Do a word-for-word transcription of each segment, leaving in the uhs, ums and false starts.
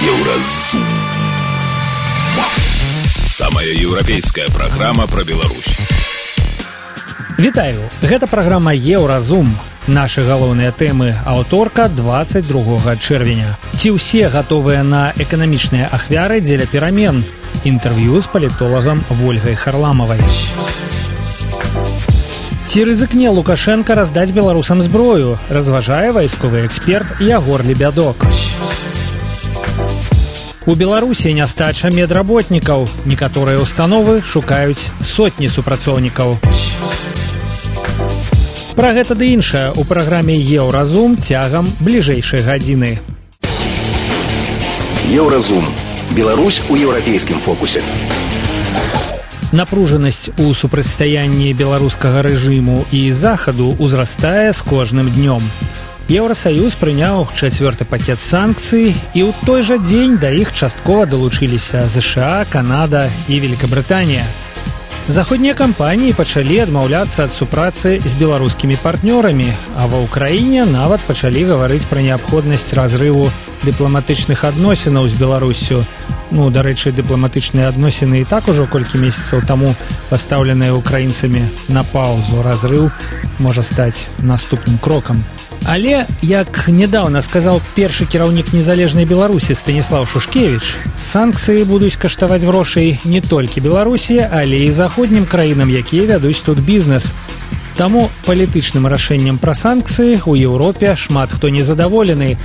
Еўразум. Самая еўрапейская праграма пра Беларусь. Вітаю, гэта праграма Еўразум. Нашы галоўныя тэмы аўторка дваццаць другога чэрвеня. Ці ўсе гатовыя на эканамічныя ахвяры дзеля перамен? Інтэрв'ю з палітолагам Вольгай Харламавай. Ці рызыкне Лукашенка раздаць беларусам зброю, разважае вайсковы эксперт Ягор Лебядок. У Беларусі нястача медработнікаў. Некаторыя ўстановы шукаюць сотні супрацоўнікаў. Пра гэта ды іншае ў праграме Еўразум цягам бліжэйшай гадзіны. Еўразум. Беларусь у еўрапейскім фокусе. Напружанасць у супрацьстаянні беларускага рэжыму і захаду ўзрастае з кожным днём. Еўрасаюз прыняў чацвёрты пакет санкцый, і ў той жа дзень да іх часткова далучыліся ЗША, Канада і Великабрытанія. Заходнія кампаніі пачалі адмаўляцца ад супрацы з беларускімі партнёрамі, а ва ўкраіне нават пачалі гаварыць пра неабходнасць разрыву дыпламатычных адносінаў з Беларуссю. Ну, дарэчы, дыпламатычныя адносіны і так ужо колькі месяцаў таму пастаўленыя украінцамі на паўзу. Разрыў можа стаць наступным крокам. Але, як нядаўна сказаў першы кіраўнік незалежнай Беларусі Станіслаў Шушкевіч, санкцыі будуць каштаваць грошай не толькі Беларусі, але і заходнім краінам, якія вядуць тут бізнес. Таму палітычным рашэннем пра санкцыі ў Еўропе шмат хто незадаволены.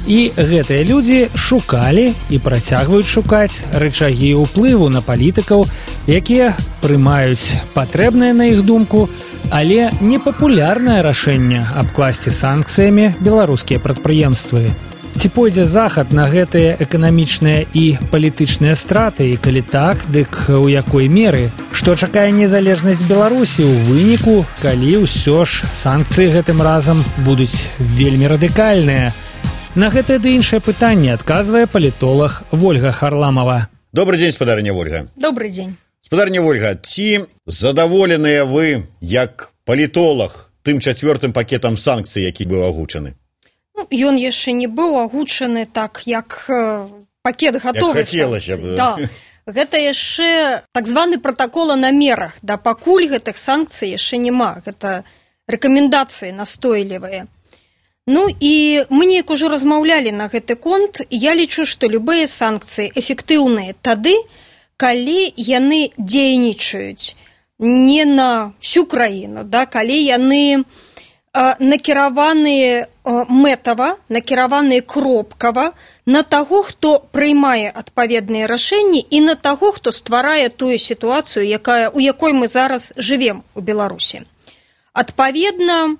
І гэтыя людзі шукалі і працягваюць шукаць рычагі ўплыву на палітыкаў, якія прымаюць патрэбнае, на іх думку, але непапулярнае рашэнне абкласці санкцыямі беларускія прадпрыемствы. Ці пойдзе захад на гэтыя эканамічныя і палітычныя страты, і калі так, дык у якой меры? Што чакае незалежнасць Беларусі ў выніку, калі ўсё ж санкцыі гэтым разам будуць вельмі радыкальныя? На гэтае ды іншае пытанне адказвае палітолог Вольга Харламава. Добрый дзень, спадарня Вольга. Добрый дзень. Спадарня Вольга, ці задаволеныя вы, як палітолог, тым чацвёртым пакетам санкцый, які быў агучаны? Ну, ён яшчэ не быў агучаны так, як э, пакет гатовых санкцый. Да. Гэта яшчэ так званы пратакол о намерах. Да, пакуль гэтых санкцый яшчэ няма. Гэта рэкамендацыі настойлівыя. Ну і мы неяк ужо размаўлялі на гэты конт. Я лічу, што любыя санкцыі эфектыўныя тады, калі яны дзейнічаюць не на всю краіну, да, калі яны э, накіраваныя э, мэтава, накіраваныя кропкава на таго, хто прыймае адпаведныя рашэнні, і на таго, хто стварае тую сітуацыю, якая, у якой мы зараз жывем у Беларусі. Адпаведна,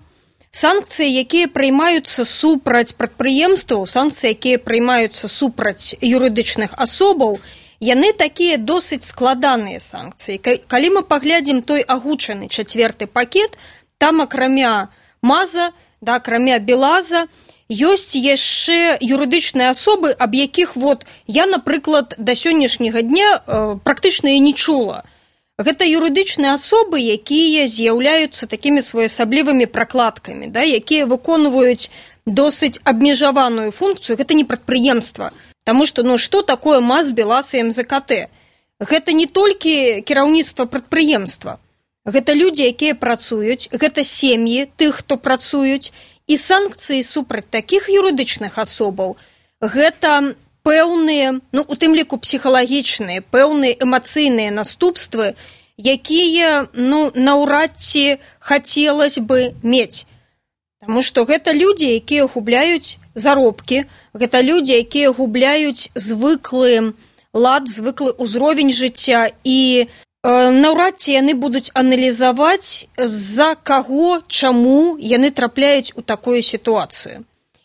санкцыі, якія прыймаюцца супраць прадпрыемстваў, санкцыі, якія прыймаюцца супраць юрыдычных асобаў, яны такія досыць складаныя санкцыі. Калі мы паглядзім той агучаны чацвёрты пакет, там акрамя МАЗа, да, акрамя БелАЗа, ёсць яшчэ юрыдычныя асобы, аб якіх вот я, напрыклад, да сённяшняга дня э, практычна і не чула. Гэта юрыдычныя асобы, якія з'яўляюцца такімі своеасаблівымі пракладкамі, да, якія выконваюць досыць абмежаваную функцыю. Гэта не прадпрыемства. Таму што, ну, што такое МАЗ, БелАЗ і МЗКТ? Гэта не толькі кіраўніцтва прадпрыемства. Гэта людзі, якія працуюць, гэта сем'і тых, хто працуюць, і санкцыі супраць такіх юрыдычных асобаў, гэта пэўныя, ну, у тым ліку псіхалагічныя, пэўныя эмацыйныя наступствы, якія, ну, наўрад ці хацелось бы мець. Таму што гэта людзі, якія губляюць заробкі, гэта людзі, якія губляюць звыклы лад, звыклы ўзровень жыцця, і э, наўрад ці яны будуць аналізаваць, з-за каго, чаму яны трапляюць у такую сітуацыю.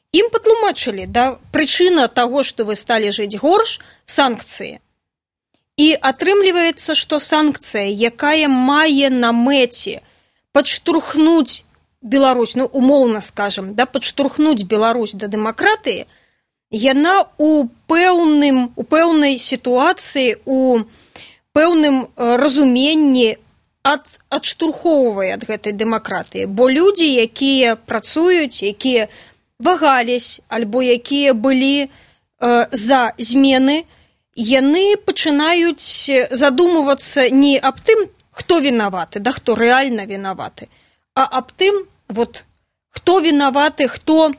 Ім патлумачылі, да, прычына таго, што вы сталі жыць горш, санкцыі. І атрымліваецца, што санкцыя, якая мае на мэце падштурхнуць Беларусь, ну, умоўна скажам, да, падштурхнуць Беларусь да дэмакратыі, яна у пэўным, у пэўнай сітуацыі, у пэўным разуменні ад, адштурхоўвае ад гэтай дэмакратыі. Бо людзі, якія працуюць, якія вагались, альбо якія былі за змены, яны пачынаюць задумывацца не аб тым, хто вінаваты, да хто рэальна вінаваты, а аб тым, вот, хто вінаваты, хто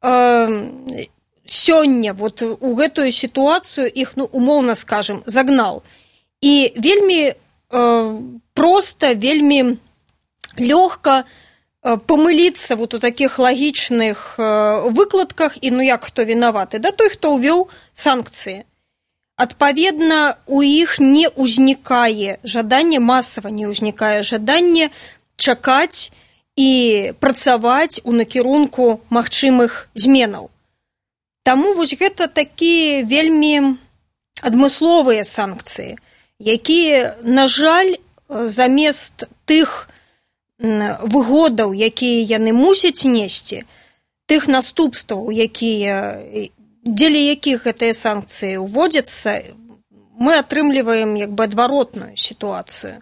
э, сёння вот, у гэтую сітуацыю іх, ну, умоўна скажем, загнал. І вельмі э, проста, вельмі лёгка э, памыліцца вот у такіх лагічных э, выкладках, і ну як хто вінаваты? Да той, хто ўвёў санкцыі. Адпаведна, у іх не ўзнікае жаданне, масава не ўзнікае жаданне чакаць і працаваць у накірунку магчымых зменаў. Таму вось гэта такія вельмі адмысловыя санкцыі, якія, на жаль, замест тых выгодаў, якія яны мусяць несці, тых наступстваў, якія, дзеля якіх гэтыя санкцыі ўводзяцца, мы атрымліваем як бы адваротную сітуацыю.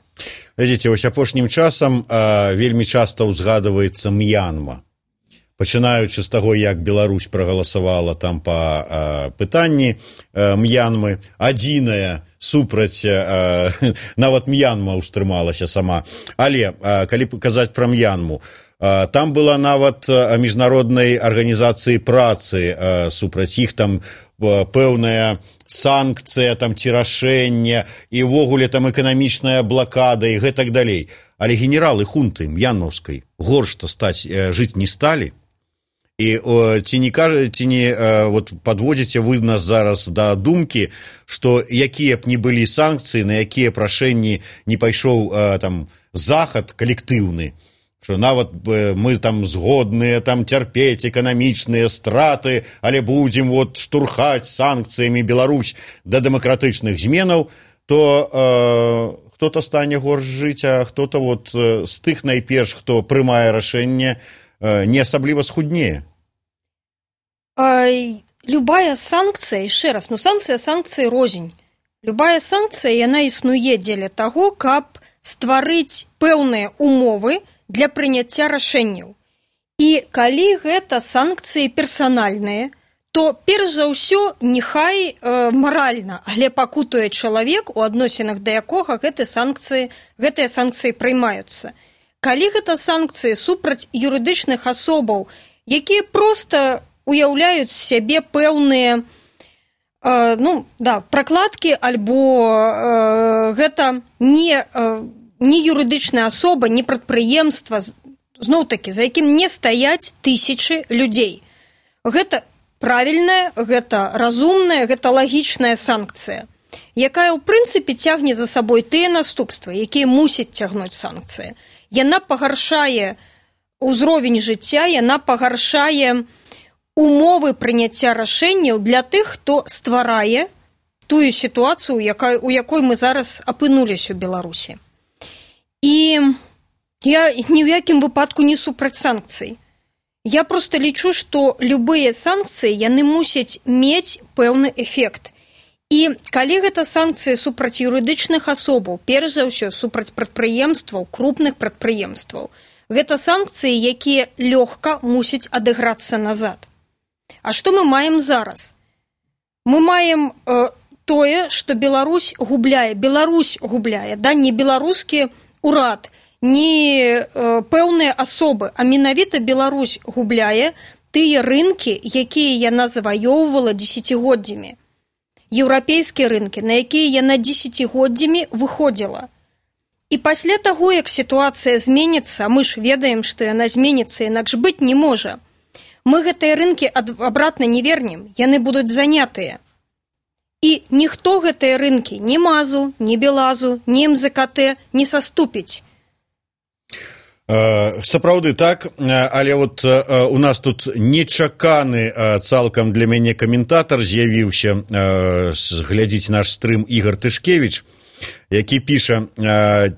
Глядзіце, вось апошнім часам а, вельмі часта ўзгадваецца М'янма. Пачынаючы з таго, як Беларусь прагаласавала там па а, пытанні а, М'янмы, адзіная супраць, а, нават М'янма ўстрымалася сама. Але, а, калі казаць пра М'янму, а, там была нават міжнароднай арганізацыі працы а, супраць іх, там а, пэўная санкцыя, там ці рашэнне, і ўвогуле там эканамічная блакада і гэтак далей. Але генералы хунты м'янмаўскай горш-то стаць э, жыць не сталі. І о, ці не, ці не э, вот, падводзіце вы нас зараз да думкі, што якія б не былі санкцыі, на якія прашэнні не пайшоў э, там захад калектыўны, што нават э, мы там згодныя там цярпець эканамічныя страты, але будзем вот штурхаць санкцыямі Беларусь да дэмакратычных зменаў, то э, хто-то стане горш жыць, а хто-то вот э, з тых найперш, хто прымае рашэнне, э, не асабліва схуднее. А, любая санкцыя, яшчэ раз, ну санкцыя, санкцыі розень. Любая санкцыя, яна існуе дзеля таго, каб стварыць пэўныя умовы для прыняцця рашэнняў. І калі гэта санкцыі персанальныя, то перш за ўсё нехай э, маральна, але пакутуе чалавек, у адносінах да якога гэтыя санкцыі, гэтыя санкцыі прымаюцца. Калі гэта санкцыі супраць юрыдычных асобаў, якія проста уяўляюць сябе пэўныя э, ну, да, пракладкі, альбо э, гэта не, э, не юрыдычная асоба, не прадпрыемства, зноў-такі, за якім не стаяць тысячы людзей. Гэта правільная, гэта разумная, гэта лагічная санкцыя, якая ў прынцыпе цягне за сабой тыя наступствы, якія мусяць цягнуць санкцыі. Яна пагаршае ўзровень жыцця, яна пагаршае умовы прыняцця рашэнняў для тых, хто стварае тую сітуацыю, якая, у якой мы зараз апынуліся ў Беларусі. І я ні ў якім выпадку не супраць санкцый. Я просто лічу, што любыя санкцыі, яны мусяць мець пэўны эфект. І калі гэта санкцыі супраць юрыдычных асобаў, перш за ўсё супраць прадпрыемстваў, крупных прадпрыемстваў, гэта санкцыі, якія лёгка мусяць адыграцца назад. А што мы маем зараз? Мы маем э, тое, што Беларусь губляе, Беларусь губляе, да, не беларускі урад, не э, пэўныя асобы, а менавіта Беларусь губляе тыя рынкі, якія яна заваёўвала дзесяцігоддзямі. Еўрапейскія рынкі, на якія яна дзесяцігоддзямі выходзіла. І пасля таго, як сітуацыя зменіцца, мы ж ведаем, што яна зменіцца, інакш быць не можа, мы гэтыя рынкі абратна не вернем, яны будуць занятыя. І ніхто гэтыя рынкі, ні Мазу, ні Белазу, ні эм зэ ка тэ не саступіць. Сапраўды так, але вот у нас тут нечаканы цалкам для мяне каментатар з'явіўся, глядзіць наш стрым Ігор Тышкевіч, які піша,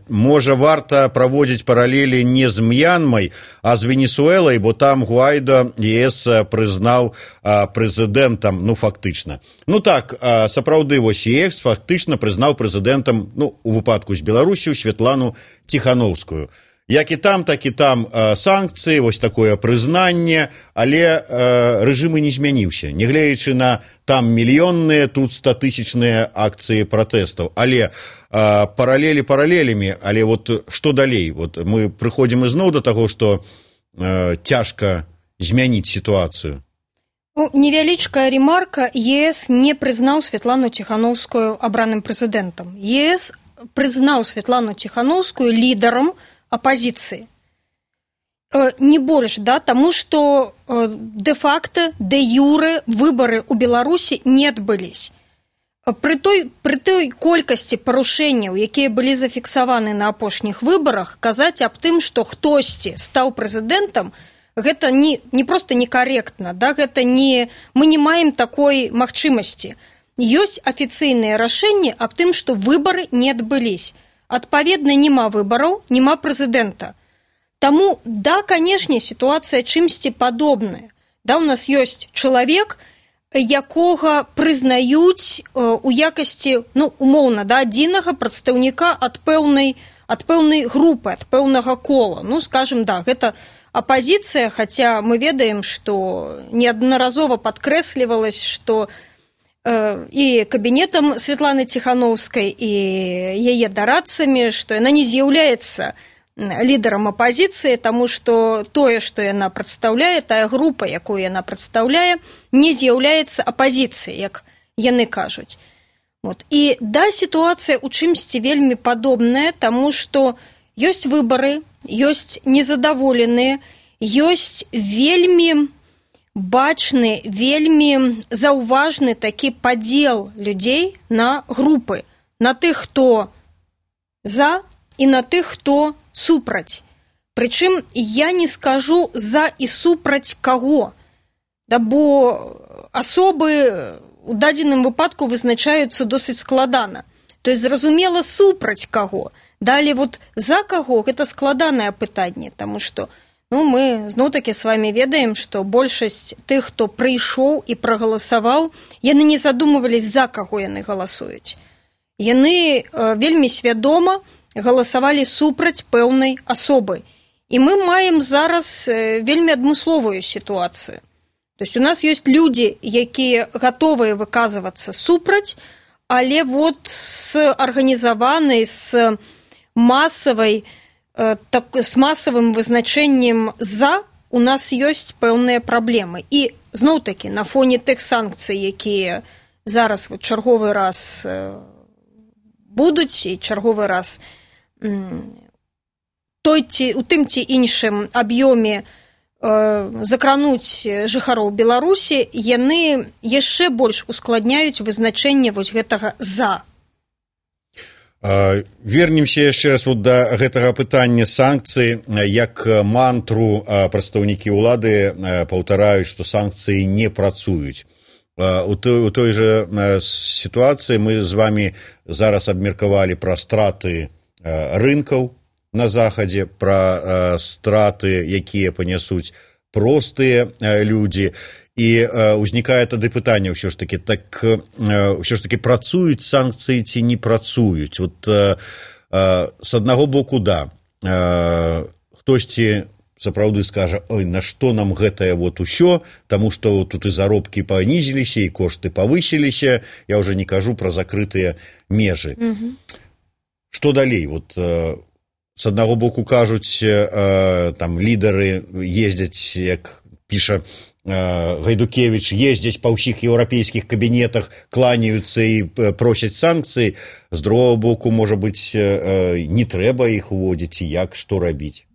можа варта праводзіць паралелі не з М'янмай, а з Венесуэлай, бо там Гуайдо ЕС прызнаў прэзідэнтам, ну фактычна. Ну так, сапраўды вось ЕС фактычна прызнаў прэзідэнтам, ну у выпадку з Беларусю, Святлану Ціхановскую. Як і там, так і там э, санкцыі, вось такое прызнанне, але э, рэжым і не змяніўся. Нягледзячы на там мільённыя, тут статысячныя акцыі пратэстаў. Але э, паралелі паралелямі, але вот што далей? Вот мы прыходзім ізноў да таго, што э, цяжка змяніць сітуацыю. Ну, невялічкая ремарка. ЕС не прызнаў Святлану Ціханаўскую абраным прэзідэнтам. ЕС прызнаў Святлану Ціханаўскую лідарам апозіцыі. Не больш, да, таму што де-факта, де-юрэ выбары ў Беларусі не адбылись. Пры той, пры той колькасці парушэнняў, якія былі зафіксаваны на апошніх выбарах, казаць аб тым, што хтосьці стаў прэзідэнтам, гэта не, не проста некаректна, да, гэта не, мы не маем такой магчымасці. Ёсць афіцыйныя рашэнні аб тым, што выбары не адбылись. Адпаведна, няма выбараў, няма прэзідэнта. Таму, да, канешне, сітуацыя чымсьці падобная. Да, у нас ёсць чалавек, якога прызнаюць у якасці, ну, умоўна, да, адзінага прадстаўніка ад пэўнай, ад пэўнай групы, ад пэўнага кола. Ну, скажем, да, гэта апозіцыя, хаця мы ведаем, што неаднаразова падкрэслівалась, што э, і кабінетам Святланы Ціханаўскай, і яе дарадцамі, што яна не з'яўляецца лідарам апозіцыі, таму што тое, што яна прадстаўляе, тая група, якую яна прадстаўляе, не з'яўляецца апозіцыяй, як яны кажуць. Вот. І да, сітуацыя ў чымсьці вельмі падобная, таму што ёсць выбары, ёсць незадаволеныя, ёсць вельмі бачны, вельмі заўважны такі падзел людзей на групы, на тых, хто за, і на тых, хто супраць. Прычым я не скажу за і супраць каго, да, бо асобы у дадзеным выпадку вызначаюцца досыць складана. То есть, зразумела, супраць каго. Далее, вот за каго, гэта складанае пытанне, таму што, ну, мы зноў-такі з вами ведаем, што большасць тых, хто прыйшоў і прагаласаваў, яны не задумывались, за каго яны галасуюць. Яны э, вельмі свядома галасавалі супраць пэўнай асобы. І мы маем зараз э, вельмі адмысловую сітуацыю. То есть, у нас ёсць людзі, якія гатовыя выказвацца супраць, але вот з арганізаванай, з масавай, так, з масавым вызначэннем за у нас ёсць пэўныя праблемы. І зноў-такі на фоне тых санкцый, якія зараз вот, чарговы раз будуць і чарговы раз той ці, у тым ці іншым аб'ёме закрануць жыхароў Беларусі, яны яшчэ больш ускладняюць вызначэнне вось гэтага за. Вернемся яшчэ раз вот да гэтага пытання санкцый, як мантру прадстаўнікі ўлады паўтараюць, што санкцыі не працуюць. У той, у той жа сітуацыі мы з вами зараз абмеркавалі пра страты рынкаў на захадзе, пра страты, якія панясуць простыя людзі. І ўзнікае тады пытанне ўсё ж такі, так ўсё ж такі працуюць санкцыі ці не працуюць. Вот з аднаго боку, да, хтосьці сапраўды скажа, ой, на што нам гэтае вот усё, таму што тут і заробкі панізіліся, і кошты павысіліся, я ўжо не кажу пра закрытыя межы. Mm-hmm. Што далей? Вот з аднаго боку кажуць, там лідары ездзяць, як піша Гайдукевич, ездзяць па ўсіх еўрапейскіх кабінетах, кланяюцца і просяць санкцыі. З другого боку, можа быць, не трэба іх уводзіць, і як, што рабіць?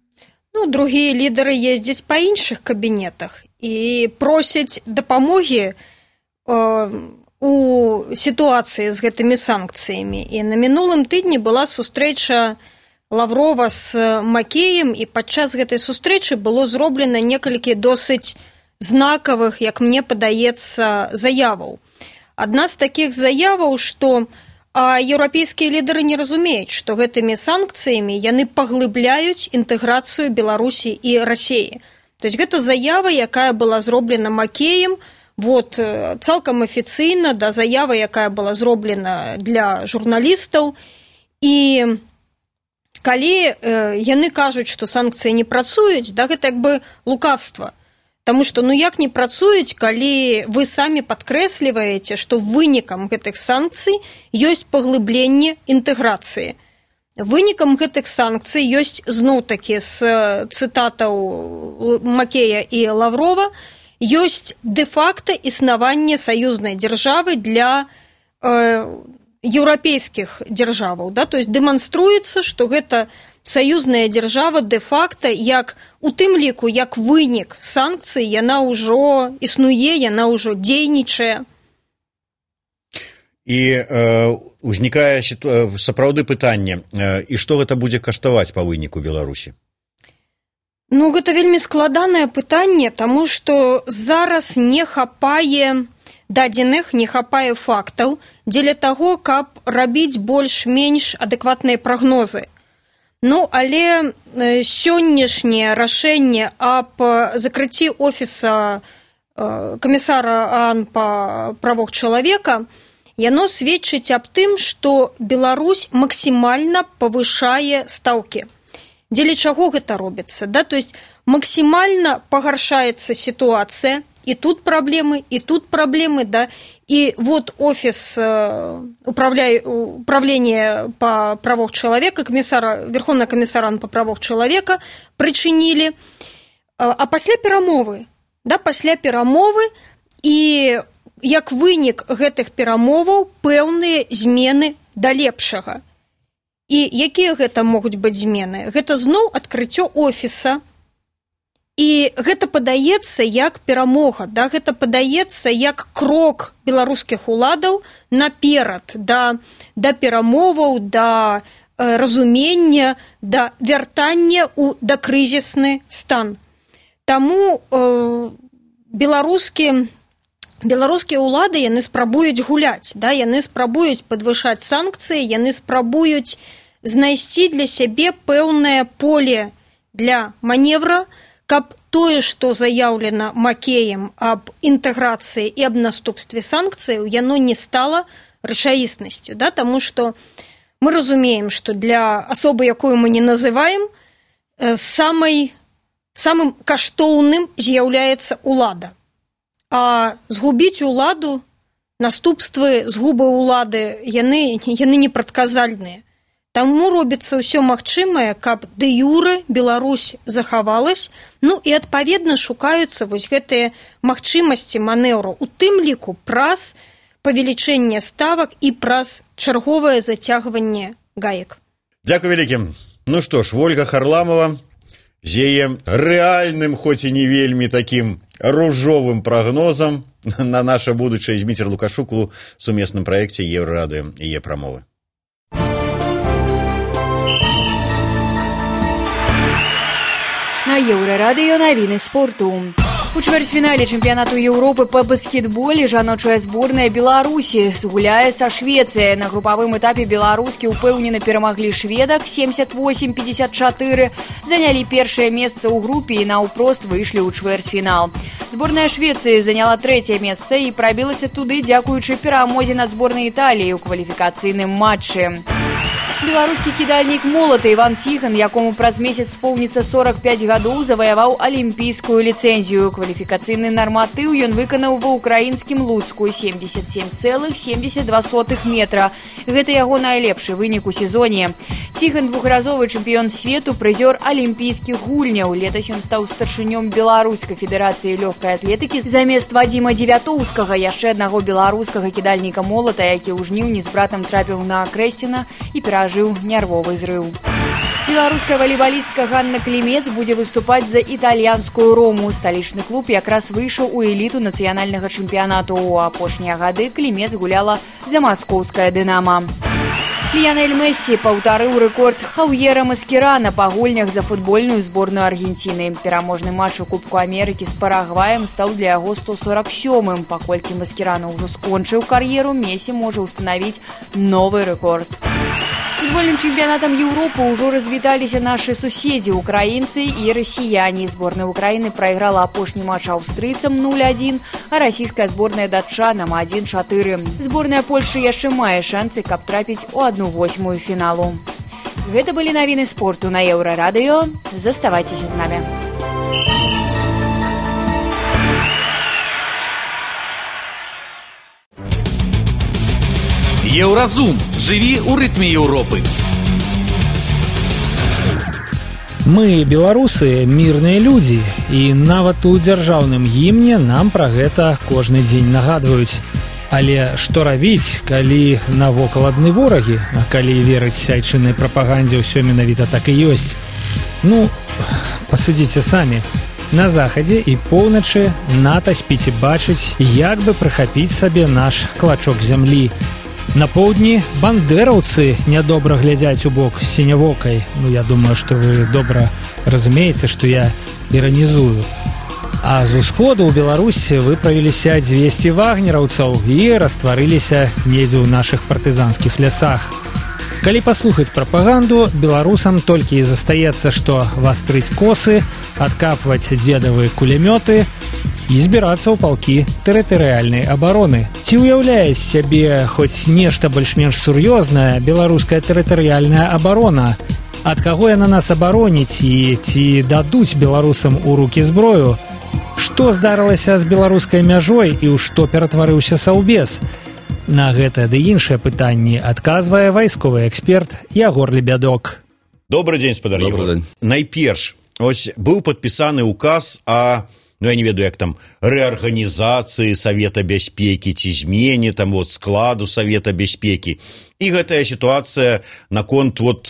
Ну, другія лідары ездзяць па іншых кабінетах і просяць дапамогі э, у сітуацыі з гэтымі санкцыямі. І на мінулым тыдні была сустрэча Лаврова з Макеем, і падчас гэтай сустрэчы было зроблена некалькі досыць знакавых, як мне падаецца, заяваў. Адна з такіх заяваў, што а, еўрапейскія лідары не разумеюць, што гэтымі санкцыямі яны паглыбляюць інтэграцыю Беларусі і Расіі. То есть гэта заява, якая была зроблена Макеем, вот, цалкам афіцыйна, да, заява, якая была зроблена для журналістаў, і калі э, яны кажуць, што санкцыі не працуюць, да, гэта як бы лукавства. Таму што, ну як не працуюць, калі вы самі падкрэсліваеце, што вынікам гэтых санкцый ёсць паглыбленне інтэграцыі. Вынікам гэтых санкцый ёсць зноў-такі з цытатаў Макея і Лаврова, ёсць дэ-факта існаванне саюзнай дзяржавы для э, еўрапейскіх дзяржаваў. Да? То есть дэманструецца, што гэта саюзная дзяржава дэ-факта, як у тым ліку, як вынік санкцый, яна ўжо існуе, яна ўжо дзейнічае. І э, узнікае сіту... сапраўды пытанне, э, і што гэта будзе каштаваць па выніку Беларусі? Ну, гэта вельмі складанае пытанне, таму што зараз не хапае дадзеных, не хапае фактаў дзеля таго, каб рабіць больш-менш адэкватныя прагнозы. Ну, але сённяшняе рашэнне аб закрыцці офіса камісара ААН па правах чалавека, яно сведчыць аб тым, што Беларусь максімальна павышае стаўкі. Дзеля чаго гэта робіцца? Да? То есть максімальна пагаршаецца сітуацыя, і тут праблемы, і тут праблемы, да? И вот офис управления по правах человека, комиссара, Верховного комиссара по правах человека причинили, а пасля перамовы, да, пасля перамовы, і як вынік гэтых перамоваў пэўныя змены да лепшага. І якія гэта могуць быць змены? Гэта зноў адкрыццё офіса. І гэта падаецца як перамога, да? Гэта падаецца як крок беларускіх уладаў наперад да, да перамоваў, да э, разумення, да вяртання ў дакрызісны стан. Таму э, беларускі, беларускія ўлады яны спрабуюць гуляць, да? Яны спрабуюць падвышаць санкцыі, яны спрабуюць знайсці для сябе пэўнае поле для маневра, каб тое, што заяўлена Макеем аб інтэграцыі і аб наступстве санкцыяў, яно не стала рэчаіснасцю, да? Таму што мы разумеем, што для асобы, якую мы не называем, самай, самым каштоўным з'яўляецца ўлада. А згубіць уладу, наступствы згубы ўлады, яны, яны непрадказальныя. Таму робіцца ўсё магчымае, каб дэ-юрэ Беларусь захавалась, ну і адпаведна шукаюцца вось гэтыя магчымасці манеўру, у тым ліку праз павелічэнне ставак і праз чарговае зацягванне гаек. Дзякуй вялікім. Ну што ж, Ольга Харламова з яе рэальным, хоць і не вельмі такім ружовым прагнозам на наша будучае з Дмітром Лукашук у сумесным праекце Еўрарады і Е-прамовы. На Еўрарадыё навіны спорту. У чвэрцьфінале чэмпіянату Еўропы па баскетболе жаночая зборная Беларусі згуляе са Швецыяй. На групавым этапе беларускі упэўнена перамаглі шведак семьдесят восемь пятьдесят четыре, занялі першае месца ў групе і наўпрост выйшлі ў чвэрцьфінал. Зборная Швецыі заняла трэцяе месца і прабілася туды дзякуючы перамозе над зборнай Італіі ў кваліфікацыйным матчы. Беларускі кідальнік молата Іван Ціхан, якому праз месяц споўніцца сорок пять гадоў, заваяваў алімпійскую ліцэнзію. Кваліфікацыйны нарматыў ён выканаў ва ўкраінскім Луцку семьдесят семь целых семьдесят два сотых метра. Гэта яго найлепшы вынік у сезоне. Ціхан двухразовы чэмпіён свету, прызёр алімпійскіх гульняў. Летась ён стаў старшынём Беларускай федэрацыі лёгкай атлетыкі замест Вадзіма Дзевятоўскага, яшчэ аднаго беларускага кідальніка молата, які ў жніўні з братам трапіў на Крэсціна і перажыў нервовы зрыў. Беларуская валейбалістка Ганна Клімец будзе выступаць за італьянскую Рому. Сталічны клуб якраз выйшаў у эліту нацыянальнага чэмпіянату. У апошнія гады Клімец гуляла за маскоўскае «Дынамо». Ліянель Мессі паўтарыў рэкорд Хаўьера Маскерана па гульнях за футбольную зборную Аргенціны. Пераможны матч у Кубку Амерыкі з Парагваем стаў для яго сто сорок сёмым. Паколькі Маскерана ўжо скончыў кар'еру, Месі можа ўстанавіць новы рэкорд. З футбольным чэмпіянатам Еўропы ўжо развіталіся нашы суседзі, украінцы і расіяне. Зборная Украіны прайграла апошні матч аўстрыйцам нуль адзін, а расійская зборная датчанам адзін чатыры. Зборная Польшы яшчэ мае шансы, каб трапіць у адну восьмую фіналу. Гэта былі навіны спорту на Еўрарадыё. Заставайцеся з намі. Еўразум. Жыві ў рытме Еўропы. Мы, беларусы, мірныя людзі, і нават у дзяржаўным гімне нам пра гэта кожны дзень нагадваюць. Але што рабіць, калі навокал адны ворагі, а калі верыць айчыннай прапагандзе, ўсё менавіта так і ёсць? Ну, пасудзіце самі. На захадзе і поўначы НАТО спіць і бачыць, як бы прыхапіць сабе наш клачок зямлі. На поўдні бандэраўцы нядобра глядзяць у бок сінявокай. Ну, я думаю, што вы добра разумееце, што я іранізую. А з усходу ў Беларусі выправіліся дзвесце вагнераўцаў і растварыліся недзе ў нашых партызанскіх лясах. Калі паслухаць прапаганду, беларусам толькі і застаецца, што вастрыць косы, адкапваць дзедавыя кулямёты і збірацца ў палкі тэрытарыяльнай абароны. Ці ўяўляе сябе хоць нешта больш-менш сур'ёзнае беларуская тэрытарыяльная абарона? Ад каго яна нас абароніць і ці дадуць беларусам у рукі зброю? Што здарылася з беларускай мяжой і ў што ператварыўся саўбез? На гэтае ды іншыя пытанні адказвае вайсковы эксперт Ягор Лебядок. Добры дзень, спадар Ягор. Найперш, ось быў падпісаны указ о, ну я не ведаю, як там, рэарганізацыі Савета бяспекі ці змене там вот складу Савета бяспекі. І гэтая сітуацыя наконт вот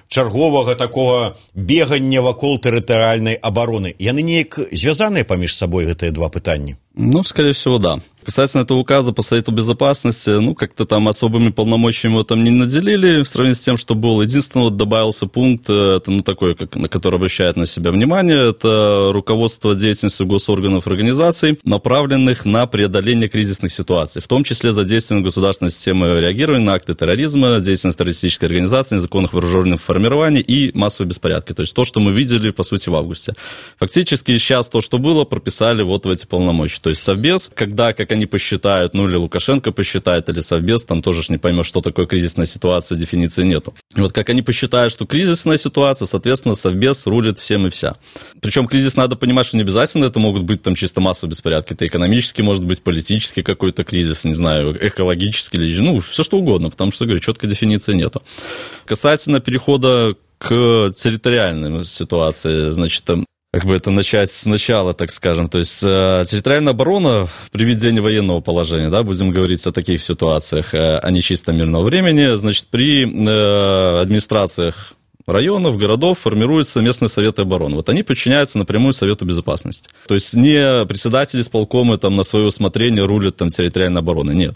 чарговага такога бегання вакол тэрытарыяльнай абароны. Яны неяк звязаныя паміж сабой, гэтыя два пытанні? Ну, скорее всего, да. Касательно этого указа по Совету Безопасности, ну, как-то там особыми полномочиями его там не наделили, в сравнении с тем, что был. Единственное, вот добавился пункт, это, ну, такой, как, на который обращает на себя внимание, это руководство деятельностью госорганов и организаций, направленных на преодоление кризисных ситуаций, в том числе задействование государственной системы реагирования на акты терроризма, деятельность террористической организации, незаконных вооруженных формирований и массовые беспорядки. То есть то, что мы видели, по сути, в августе. Фактически сейчас то, что было, прописали вот в эти полномочия. То есть Совбез, когда, как они посчитают, ну или Лукашенко посчитает, или Совбез, там тоже ж не поймешь, что такое кризисная ситуация, дефиниции нету. И вот как они посчитают, что кризисная ситуация, соответственно, Совбез рулит всем и вся. Причем кризис надо понимать, что не обязательно это могут быть там чисто массовые беспорядки, это экономический, может быть, политический какой-то кризис, не знаю, экологический, или, ну, все что угодно, потому что, говорю, четкой дефиниции нету. Касательно перехода к территориальной ситуации, значит, как бы это начать сначала, так скажем. То есть э, территориальная оборона при введении военного положения, да, будем говорить о таких ситуациях, э, а не чисто мирного времени, значит, при э, администрациях районов, городов формируются местные советы обороны. Вот они подчиняются напрямую Совету Безопасности. То есть не председатели исполкома там на свое усмотрение рулят там территориальной обороной, нет.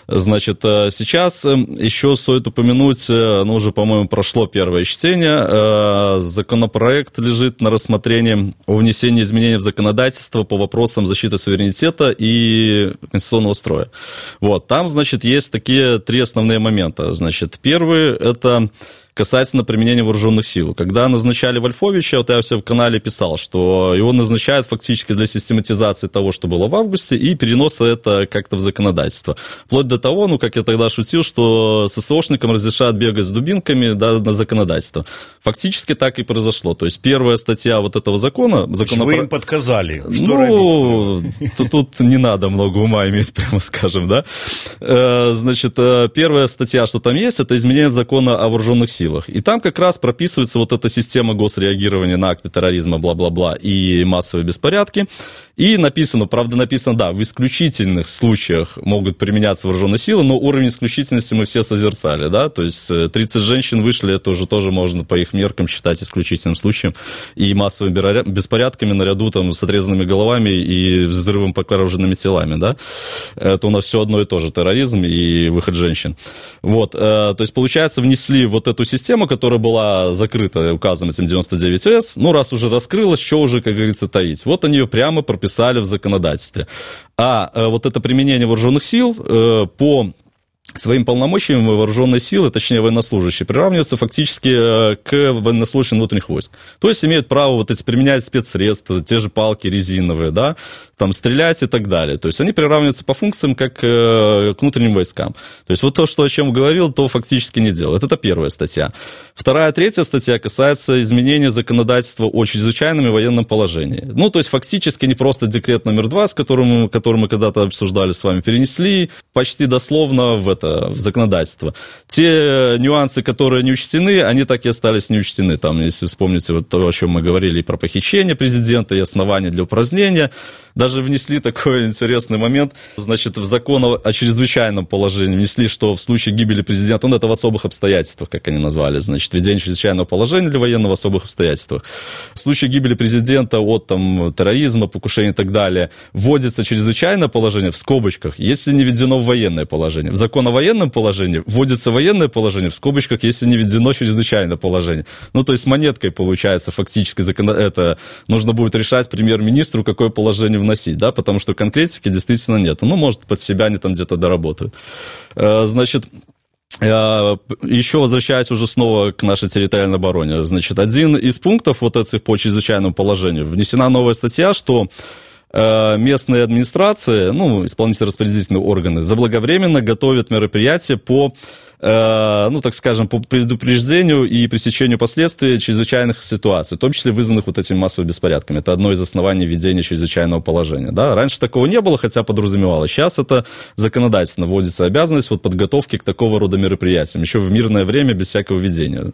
Значит, сейчас еще стоит упомянуть, ну уже, по-моему, прошло первое чтение, законопроект лежит на рассмотрении о внесении изменений в законодательство по вопросам защиты суверенитета и конституционного строя. Вот, там, значит, есть такие три основные момента. Значит, первый – это касательно применения вооруженных сил. Когда назначали Вольфовича, вот я все в канале писал, что его назначают фактически для систематизации того, что было в августе, и переноса это как-то в законодательство. Вплоть до того, ну, как я тогда шутил, что ССОшникам разрешают бегать с дубинками, да, на законодательство. Фактически так и произошло. То есть первая статья вот этого закона... закона Вы про... им подсказали, что ну, робить? Тут, тут не надо много ума иметь, прямо скажем, да. Значит, первая статья, что там есть, это изменение закона о вооруженных силах. И там как раз прописывается вот эта система госреагирования на акты терроризма, бла-бла-бла, и массовые беспорядки. И написано, правда написано, да, в исключительных случаях могут применяться вооруженные силы, но уровень исключительности мы все созерцали, да, то есть тридцать женщин вышли, это уже тоже можно по их меркам считать исключительным случаем, и массовыми беспорядками наряду там с отрезанными головами и взрывом покороженными телами, да, это у нас все одно и то же, терроризм и выход женщин. Вот, то есть, получается, внесли вот эту систему, которая была закрыта указом этим девяносто девять эс, ну, раз уже раскрылась, что уже, как говорится, таить. Вот они ее прямо прописали в законодательстве. А вот это применение вооруженных сил по своим полномочиями вооруженные силы, точнее военнослужащие, приравниваются фактически к военнослужащим внутренних войск. То есть имеют право вот эти применять спецсредства, те же палки резиновые, да, там стрелять и так далее. То есть они приравниваются по функциям как к внутренним войскам. То есть вот то, что, о чем говорил, то фактически не делают. Это первая статья. Вторая, третья статья касается изменения законодательства о чрезвычайном и военном положении. Ну, то есть фактически не просто декрет номер два, с которым, который мы когда-то обсуждали с вами, перенесли почти дословно в это в законодательство. Те нюансы, которые не учтены, они так и остались не учтены. Там, если вспомните вот то, о чем мы говорили, и про похищение президента, и основания для упразднения, даже внесли такой интересный момент, значит, в закон о чрезвычайном положении внесли, что в случае гибели президента, ну, это в особых обстоятельствах, как они назвали, значит, введение чрезвычайного положения для военного в особых обстоятельствах. В случае гибели президента от там, терроризма, покушения и так далее, вводится чрезвычайное положение в скобочках, если не введено в военное положение. В закон о военном положении вводится военное положение в скобочках, если не введено чрезвычайное положение. Ну, то есть монеткой получается фактически закон... это нужно будет решать премьер-министру, какое положение вносить, да, потому что конкретики действительно нет. Ну, может, под себя они там где-то доработают. Значит, еще возвращаясь уже снова к нашей территориальной обороне, значит, один из пунктов вот этих по чрезвычайному положению, внесена новая статья, что местные администрации, ну, исполнительно-распорядительные органы, заблаговременно готовят мероприятия по, э, ну, так скажем, по предупреждению и пресечению последствий чрезвычайных ситуаций, в том числе вызванных вот этими массовыми беспорядками. Это одно из оснований введения чрезвычайного положения. Да? Раньше такого не было, хотя подразумевалось. Сейчас это законодательно вводится обязанность вот, подготовки к такого рода мероприятиям, еще в мирное время, без всякого введения.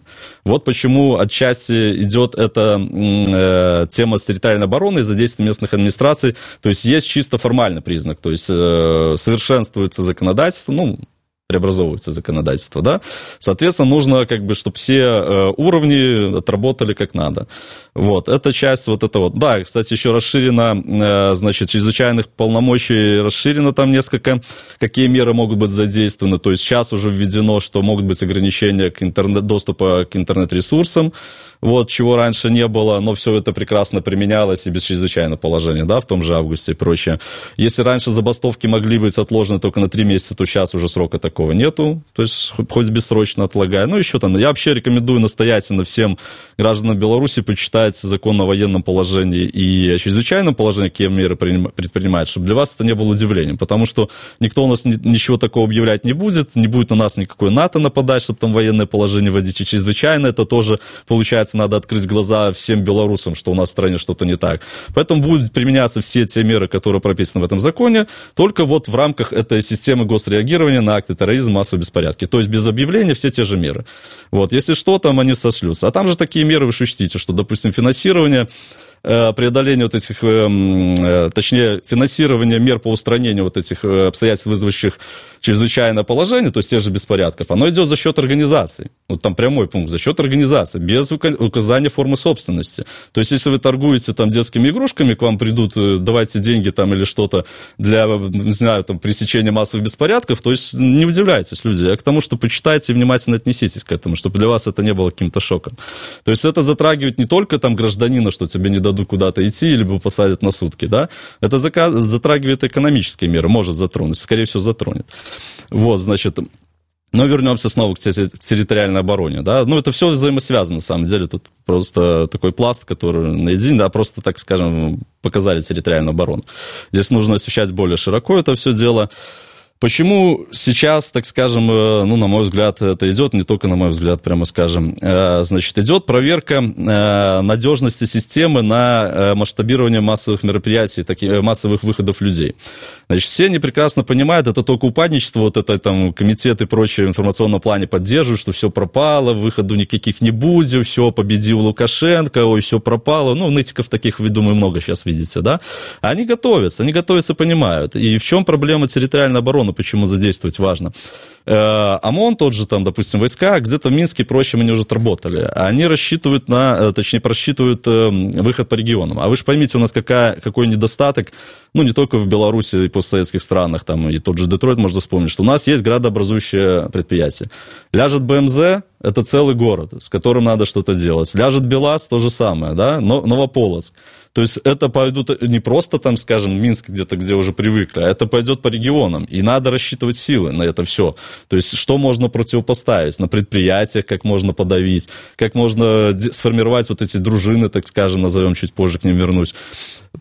Вот почему отчасти идет эта э, тема с территориальной обороны из-за действия местных администраций. То есть есть чисто формальный признак, то есть э, совершенствуется законодательство, ну, преобразовывается законодательство, да, соответственно, нужно, как бы, чтобы все э, уровни отработали как надо. Вот, эта часть, вот это вот, да, кстати, еще расширено, э, значит, чрезвычайных полномочий расширено там несколько, какие меры могут быть задействованы, то есть сейчас уже введено, что могут быть ограничения к интернет, доступа к интернет-ресурсам, вот, чего раньше не было, но все это прекрасно применялось и без чрезвычайного положения, да, в том же августе и прочее. Если раньше забастовки могли быть отложены только на три месяца, то сейчас уже срока такого нету, то есть хоть бессрочно отлагая. Ну, еще там, я вообще рекомендую настоятельно всем гражданам Беларуси почитать закон о военном положении и о чрезвычайном положении, какие меры предпринимать, чтобы для вас это не было удивлением, потому что никто у нас ничего такого объявлять не будет, не будет на нас никакой НАТО нападать, чтобы там военное положение вводить, и чрезвычайно это тоже, получается, надо открыть глаза всем белорусам, что у нас в стране что-то не так. Поэтому будут применяться все те меры, которые прописаны в этом законе, только вот в рамках этой системы госреагирования на акты терроризма, массовые беспорядки. То есть без объявления все те же меры. Вот. Если что, там они сошлются. А там же такие меры, вы же учтите, что, допустим, финансирование, преодоление вот этих, точнее, финансирование мер по устранению вот этих обстоятельств, вызвавших чрезвычайное положение, то есть тех же беспорядков, оно идет за счет организаций. Вот там прямой пункт, за счет организации, без указания формы собственности. То есть, если вы торгуете там детскими игрушками, к вам придут, давайте деньги там или что-то для, не знаю, там, пресечения массовых беспорядков, то есть не удивляйтесь, люди, а к тому, что почитайте и внимательно отнеситесь к этому, чтобы для вас это не было каким-то шоком. То есть, это затрагивает не только там гражданина, что тебе не дадут куда-то идти, либо посадят на сутки, да, это затрагивает экономические меры, может затронуть, скорее всего, затронет. Вот, значит, но вернемся снова к территориальной обороне, да, ну, это все взаимосвязано, на самом деле, тут просто такой пласт, который наедине, да, просто, так скажем, показали территориальную оборону. Здесь нужно освещать более широко это все дело. Почему сейчас, так скажем, ну, на мой взгляд, это идет, не только на мой взгляд, прямо скажем, значит, идет проверка надежности системы на масштабирование массовых мероприятий, таких, массовых выходов людей. Значит, все они прекрасно понимают, это только упадничество, вот это там комитет и прочее в информационном плане поддерживают, что все пропало, выходу никаких не будет, все, победил Лукашенко, ой, все пропало. Ну, нытиков таких, вы, думаю, много сейчас видите, да? Они готовятся, они готовятся, понимают. И в чем проблема территориальной обороны? Почему задействовать важно. ОМОН, тот же, там, допустим, войска, где-то в Минске и прочем они уже отработали. Они рассчитывают на, точнее, просчитывают выход по регионам. А вы же поймите, у нас какая, какой недостаток, ну, не только в Беларуси и постсоветских странах, там, и тот же Детройт, можно вспомнить, что у нас есть градообразующее предприятие. Ляжет БМЗ, это целый город, с которым надо что-то делать. Ляжет БелАЗ, то же самое, да, Новополоцк. То есть это пойдут не просто там, скажем, Минск где-то, где уже привыкли, а это пойдет по регионам. И надо рассчитывать силы на это все. То есть, что можно противопоставить на предприятиях, как можно подавить, как можно сформировать вот эти дружины, так скажем, назовем, чуть позже к ним вернусь.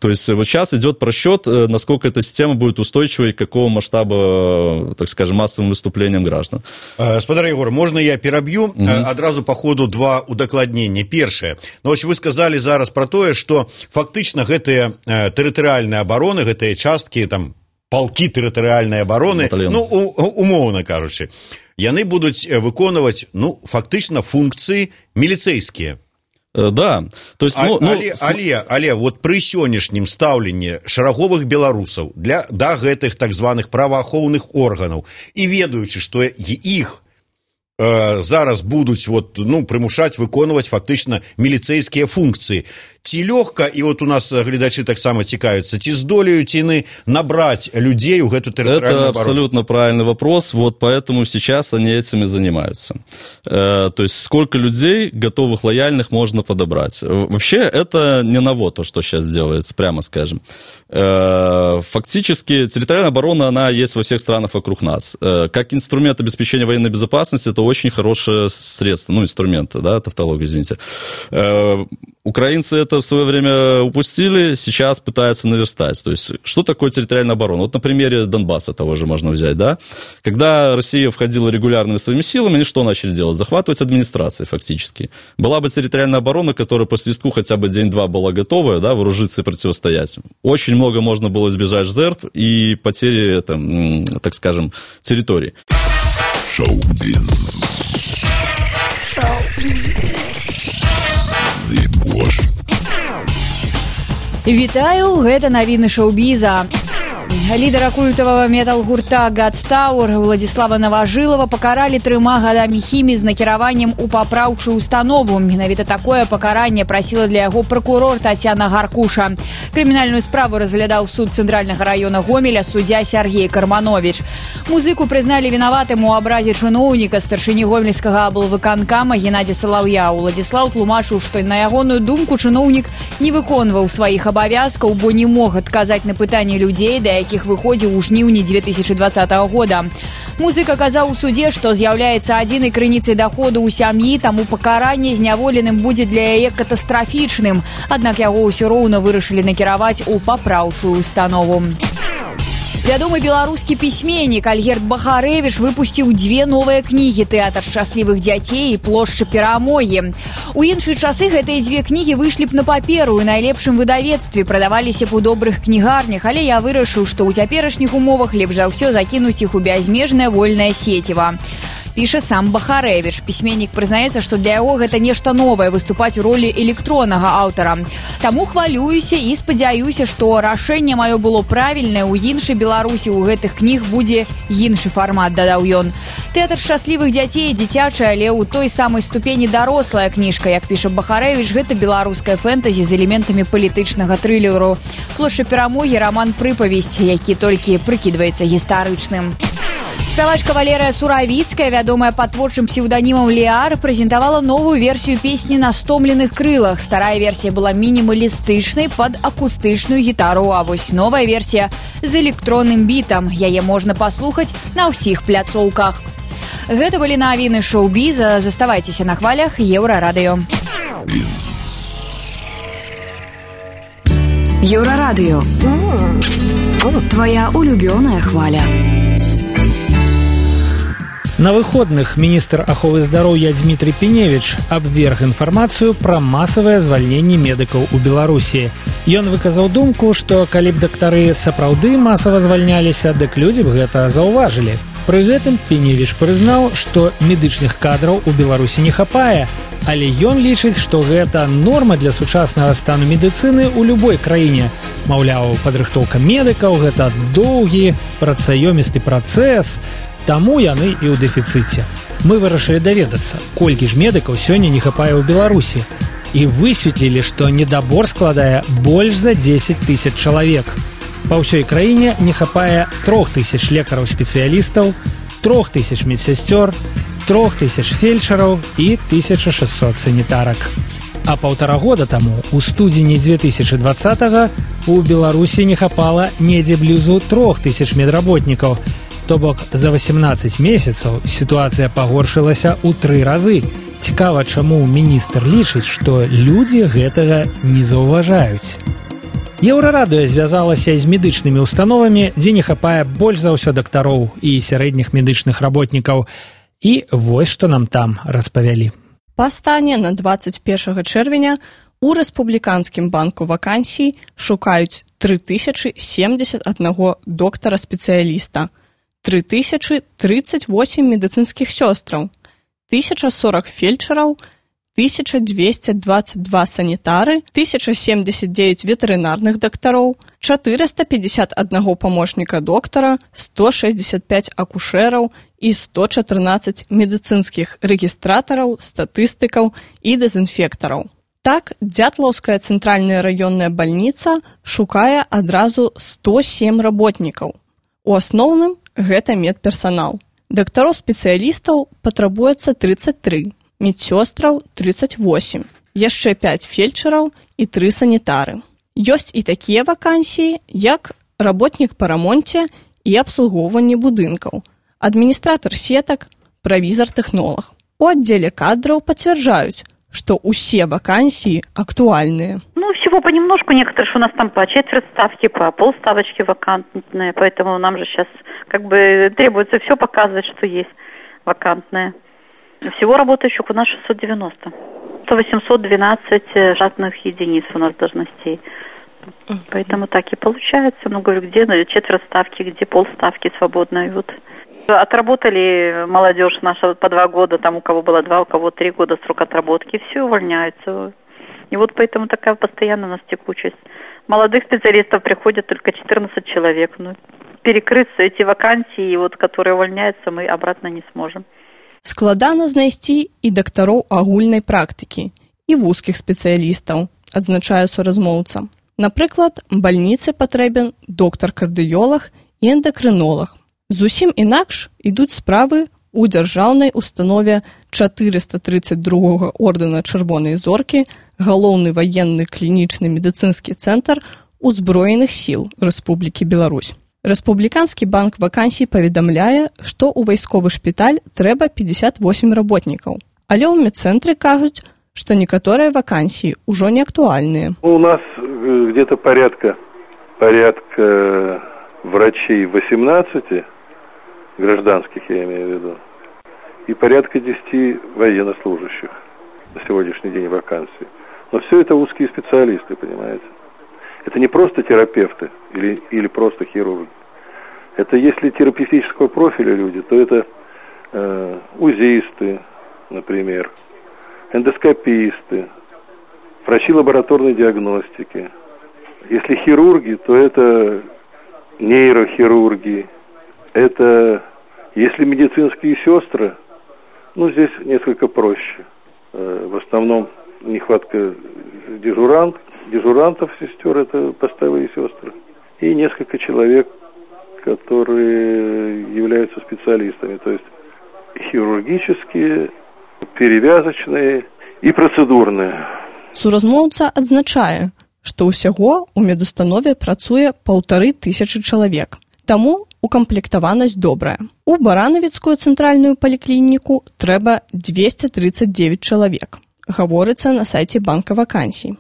То есть, вот сейчас идет просчет, насколько эта система будет устойчивой, какого масштаба, так скажем, массовым выступлением граждан. Спадар Егор, можно я пераб'ю? Mm-hmm. Адразу по ходу два удакладнення. Першае. Ну, вось вы сказали зараз про тое, што фактычна гэтыя тэрытарыяльныя абароны, гэтыя часткі, там, палкі тэрытарыяльнай абароны, Батальон. ну, умоўна кажучы, яны будуць выконваць, ну, фактычна функцыі міліцэйскія. Да, то есть, ну, а, але, але, але вот пры сённяшнім стаўленні шараговых беларусаў для да гэтых так званых праваахоўных органаў і ведаючы, што іх э, зараз будуць вот, ну, прымушаць выконваць фактычна міліцэйскія функцыі. Ці лёгка, і вот у нас гледачы таксама цікавяцца, ці здолеюць яны набрать людей у гэту территориальную оборону? Это абсолютно правильный вопрос, вот поэтому сейчас они этим и занимаются. Э, то есть сколько людей готовых, лояльных можно подобрать. Вообще это не ново, то, что сейчас делается, прямо скажем. Э, фактически территориальная оборона, она есть во всех странах вокруг нас. Э, как инструмент обеспечения военной безопасности, это очень хорошее средство, ну, инструмент, да, тавтология, извините. Э, украинцы это в свое время упустили, сейчас пытаются наверстать. То есть, что такое территориальная оборона? Вот на примере Донбасса того же можно взять, да? Когда Россия входила регулярными своими силами, они что начали делать? Захватывать администрации, фактически. Была бы территориальная оборона, которая по свистку хотя бы день-два была готова, да, вооружиться и противостоять. Очень много можно было избежать жертв и потери, там, так скажем, территории. Шоу-биз. Шоу-биз. Вітаю, гэта навіны шоу-біза. Лідара культавага метал-гурта God's Tower Владислава Новожилова пакаралі трыма гадамі хіміі з накіраваннем у папраўчую установу. Менавіта такое пакаранне прасіла для яго пракурор Тацяна Гаркуша. Крымінальную справу разглядаў суд цэнтральнага раёна Гомеля суддзя Сергей Карманович. Музыку прызналі вінаватым у абразе чыноўніка старшыні гомельскага аблвыканкама Геннадзя Салаўя. Владислав тлумачыў, што на ягоную думку чыноўнік не выконваў сваіх абавязкаў, бо не мог адказаць на пытанні людзей, да якіх выходзіў у жніўні две тысячи двадцатого года. Музыка казаў у судзе, што з'яўляецца адзінай крыніцай даходу ў сям'і, таму пакаранне зняволеным будзе для яе катастрафічным. Аднак яго ўсё роўна вырашылі накіраваць у папраўчую установу. Вядомы беларускі пісьменнік Альгерд Бахарэвіч выпусціў дзве новыя кнігі «Тэатр шчаслівых дзяцей» і «Плошча перамогі». У іншыя часы гэтыя дзве кнігі выйшлі б на паперу і найлепшым выдавецтве, прадаваліся б у добрых кнігарнях, але я вырашыў, што ў цяперашніх умовах лепш за ўсё закінуць іх у бязмежнае вольнае сеціва. Піша сам Бахарэвіч. Пісьменнік прызнаецца, што для яго гэта нешта новае выступаць у ролі электроннага аўтара. Таму хвалююся і спадзяюся, што рашэнне маё было правільнае. У іншай Беларусі ў гэтых кніг будзе іншы фармат, дадаў ён. «Тэатр шчаслівых дзяцей» дзіцячая, але ў той самай ступені дарослая кніжка. Як піша Бахарэвіч, гэта беларуская фэнтэзі з элементамі палітычнага трылеру. «Плошча перамогі» роман прыпавесць, які толькі прыкідваецца гістарычным. Спявачка Валерыя Суравіцкая, вядомая пад творчым псеўданімам Леар, прэзентавала новую версію песні «На стомленых крылах». Старая версія была мінімалістычнай пад акустычную гітару, а вось новая версія з электронным бітам. Яе можна паслухаць на ўсіх пляцоўках. Гэта былі навіны шоу-біза. Заставайцеся на хвалях Еўрарадыё. Еўрарадыё. Твоя улюбёная хваля. На выходных міністр аховы здароўя Дмітрий Пеневич абверг інфармацыю пра масавае звальненне медыкаў у Беларусі. Ён выказаў думку, што калі б дактары сапраўды масава звальняліся, дык людзі б гэта заўважылі. Пры гэтым Пеневич прызнаў, што медычных кадраў у Беларусі не хапае, але ён лічыць, што гэта норма для сучаснага стану медыцыны ў любой краіне. Маўляў, падрыхтоўка медыкаў – гэта доўгі, працаёмісты працэс, таму яны і ў дэфіцыце. Мы вырашылі даведацца, колькі ж медыкаў сёння не хапае ў Беларусі. І высветлілі, што недабор складае больш за дзесяць тысяч чалавек. Па ўсёй краіне не хапае трох тысяч лекараў-спецыялістаў, трох тысяч медсясцёр, трох тысяч фельчараў і тысяча шэсцьсот санітарак. А паўтара года таму, у студзені две тысячи двадцатого, у Беларусі не хапала недзе блізу трох тысяч медработнікаў. То бок за восемнадцаць месяцаў сітуацыя пагоршылася ў тры разы. Цікава, чаму міністр лічыць, што людзі гэтага не заўважаюць. Еўрарадыё звязалася з медычнымі установамі, дзе не хапае больш за ўсё дактароў і сярэдніх медычных работнікаў. І вось што нам там распавялі. Па стане на дваццаць першага чэрвеня у рэспубліканскім банку вакансій шукаюць тры тысячы семдзесят адзін доктара-спецыяліста, тры тысячы трыццаць восем медыцынскіх сёстраў, тысяча сорок фельчараў, тысяча дзвесце дваццаць два санітары, тысяча семьдесят девять ветэрынарных дактароў, четыреста пятьдесят один памочніка доктара, сто шестьдесят пять акушэраў і сто чатырнаццаць медыцынскіх рэгістратараў, статыстыкаў і дэзінфектараў. Так, Дзятлаўская цэнтральная раённая бальніца шукае адразу сто сем работнікаў. У асноўным гэта медперсанал. Дактароў-спецыялістаў патрабуецца тридцать три, медсёстраў тридцать восемь, яшчэ пять фельчараў і тры санітары. Ёсць і такія вакансіі, як работнік па рамонце і абслугоўванні будынкаў, адміністратар сетак, правізар-тэхнолаг. У аддзеле кадраў пацвярджаюць, что усе вакансии актуальные. Ну, всего понемножку. Некоторые у нас там по четверть ставки, по полставочки вакантные, поэтому нам же сейчас как бы требуется все показывать, что есть вакантное. Всего работающих у нас шестьсот девяносто. Это восемьсот двенадцать штатных единиц у нас должностей. Поэтому так и получается. Ну, говорю, где четверть ставки, где полставки свободной. Вот. Отработали молодежь наша по два года, там у кого было два, у кого три года срок отработки, все увольняются. И вот поэтому такая постоянно у нас текучесть. Молодых специалистов приходят только четырнадцать человек. Ну, перекрыть эти вакансии, вот, которые увольняются, мы обратно не сможем. Складана знайсці і дактароў агульнай практыкі, і вузкіх спецыялістаў, адзначае суразмоўца. Напрыклад, бальніцы патрэбен доктар-кардыёлаг і эндакрынолаг. Зусім інакш ідуць справы ў дзяржаўнай установе чатырыста трыццаць другога ордэна Чырвонай зоркі, галоўны ваенны клінічны медыцынскі цэнтр узброеных сіл Рэспублікі Беларусь. Рэспубліканскі банк вакансій паведамляе, што ў вайсковы шпіталь трэба пятьдесят восемь работнікаў. Але ў медцэнтры кажуць, што некаторыя вакансіі ўжо не актуальныя. У нас где-то порядка, порядка врачей восемнадцать, гражданских я имею в виду, и порядка десять военнослужащих на сегодняшний день вакансий. Но все это узкие специалисты, понимаете. Это не просто терапевты или, или просто хирурги. Это если терапевтического профиля люди, то это э, узисты, например, эндоскописты, врачи лабораторной диагностики. Если хирурги, то это нейрохирурги. Это, если медицинские сестры, ну, здесь несколько проще. Э, в основном нехватка дежурант, дежурантов, сестер, это постовые сестры. И несколько человек, которые являются специалистами, то есть хирургические, перевязочные и процедурные. Суразмоўца адзначае, што ўсяго ў медустанове працуе паўтары тысячы чалавек. Таму укамплектаванасць добрая. У Баранавіцкую цэнтральную паліклініку трэба двести тридцать девять чалавек. Гаворыцца на сайце банка вакансій.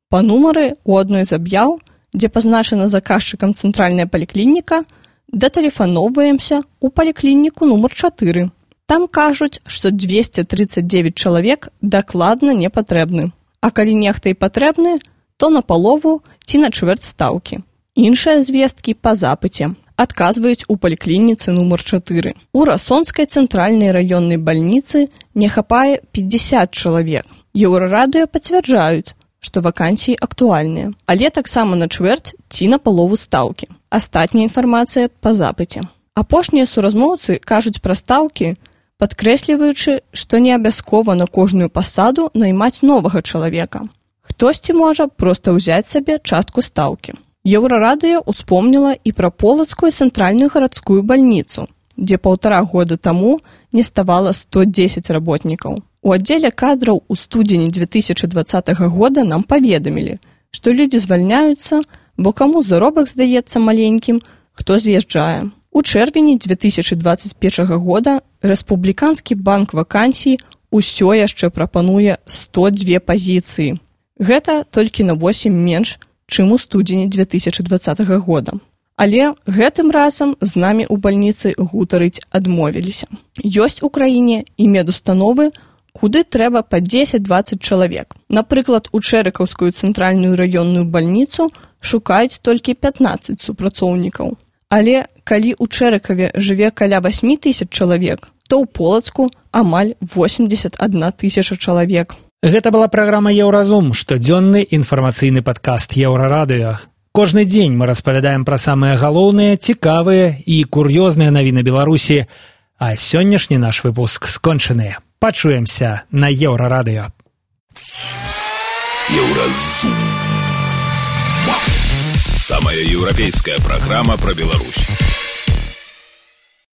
Па нумары ў адной з аб'яў, дзе пазначана заказчыкам цэнтральная паліклініка, датэлефаноўваемся ў паліклініку нумар чатыры. Там кажуць, што двести тридцать девять чалавек дакладна не патрэбны. А калі нехта і патрэбны, то на палову ці на чвэрць стаўкі. Іншыя звесткі па запыце. Адказваюць у паліклініцы нумар чатыры. У Расонскай цэнтральнай раённай бальніцы не хапае пятьдесят чалавек. Еўрарадыё пацвярджаюць, што вакансіі актуальныя, але таксама на чвэрць ці на палову стаўкі. Астатняя інфармацыя па запыце. Апошнія суразмоўцы кажуць пра стаўкі, падкрэсліваючы, што не абавязкова на кожную пасаду наймаць новага чалавека. Хтосьці можа проста ўзяць сабе частку стаўкі. Еўрарадыё успомніла і пра Полацкую цэнтральную гарадскую бальніцу, дзе паўтара года таму не ставала сто дзесяць работнікаў. У аддзеле кадраў у студзені две тысячи двадцатого года нам паведамілі, што людзі звальняюцца, бо каму заробак здаецца маленькім, хто з'язджае. У чэрвені дзве тысячы дваццаць першага года Рэспубліканскі банк вакансій усё яшчэ прапануе сто дзве пазіцыі. Гэта толькі на восем менш, чым у студзені дзве тысячы дваццатага года. Але гэтым разам з намі ў бальніцы гутарыць адмовіліся. Ёсць у краіне і медустановы, куды трэба па дзесяць-дваццаць чалавек. Напрыклад, у Чэрыкаўскую цэнтральную раённую бальніцу шукаюць толькі пятнаццаць супрацоўнікаў. Але калі ў Чэрыкаве жыве каля восьмі тысяч чалавек, то ў Полацку амаль восемьдесят одна тысяча чалавек. Гэта была праграма «Еўразум», штодзённы інфармацыйны падкаст «Еўрарадыё». Кожны дзень мы распавядаем пра самыя галоўныя, цікавыя і кур'ёзныя навіны Беларусі, а сённяшні наш выпуск скончаны. Пачуемся на Еўрарадыё. Еўразум. Самая еўрапейская праграма пра Беларусь.